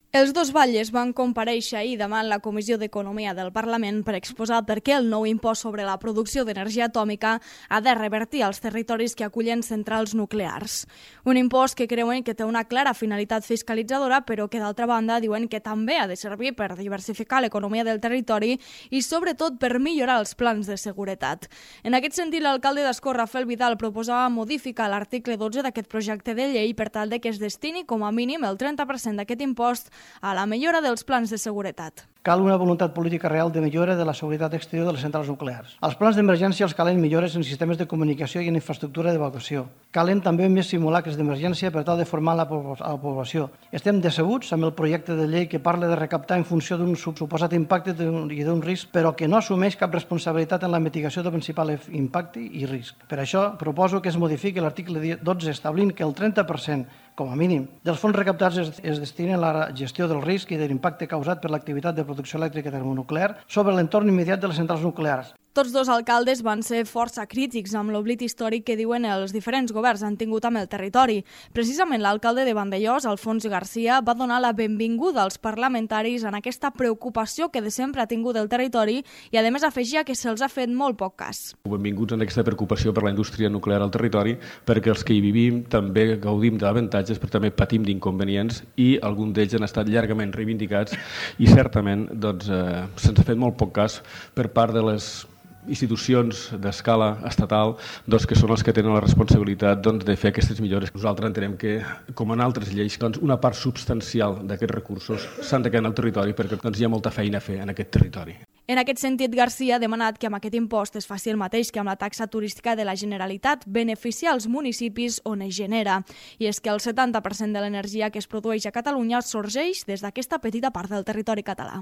Els dos batlles van comparèixer ahir davant la Comissió d'Economia del Parlament per exposar per què el nou impost sobre la producció d'energia atòmica ha de revertir als territoris que acullen centrals nuclears. Un impost que creuen que té una clara finalitat fiscalitzadora, però que d'altra banda diuen que també ha de servir per diversificar l'economia del territori i sobretot per millorar els plans de seguretat. En aquest sentit, l'alcalde d'Ascó, Rafael Vidal, proposava modificar l'article 12 d'aquest projecte de llei per tal de que es destini com a mínim el 30% d'aquest impost a la millora dels plans de seguretat. Cal una voluntat política real de millora de la seguretat exterior de les centrals nuclears. Als plans d'emergència els calen millores en sistemes de comunicació i en infraestructura d'evacuació. Calen també més simulacres d'emergència per tal de formar la població. Estem decebuts amb el projecte de llei que parla de recaptar en funció d'un suposat impacte i d'un risc, però que no assumeix cap responsabilitat en la mitigació del principal impacte i risc. Per això proposo que es modifiqui l'article 12 establint que el 30%, com a mínim, dels fons recaptats es destinen a la gestió del risc i de l'impacte causat per l'activitat de producció elèctrica termonuclear sobre l'entorn immediat de les centrals nuclears. Tots dos alcaldes van ser força crítics amb l'oblit històric que diuen els diferents governs han tingut amb el territori. Precisament l'alcalde de Vandellòs, Alfons Garcia, va donar la benvinguda als parlamentaris en aquesta preocupació que de sempre ha tingut el territori i, a més, afegia que se'ls ha fet molt poc cas. Benvinguts en aquesta preocupació per la indústria nuclear al territori, perquè els que hi vivim també gaudim d'avantatges, però també patim d'inconvenients i alguns d'ells han estat llargament reivindicats i certament se'ns ha fet molt poc cas per part de les institucions d'escala estatal que són els que tenen la responsabilitat de fer aquestes millores. Nosaltres entenem que, com en altres lleis, una part substancial d'aquests recursos s'han de quedar en el territori perquè hi ha molta feina a fer en aquest territori. En aquest sentit, Garcia ha demanat que amb aquest impost es faci el mateix que amb la taxa turística de la Generalitat, beneficiar els municipis on es genera. I és que el 70% de l'energia que es produeix a Catalunya sorgeix des d'aquesta petita part del territori català.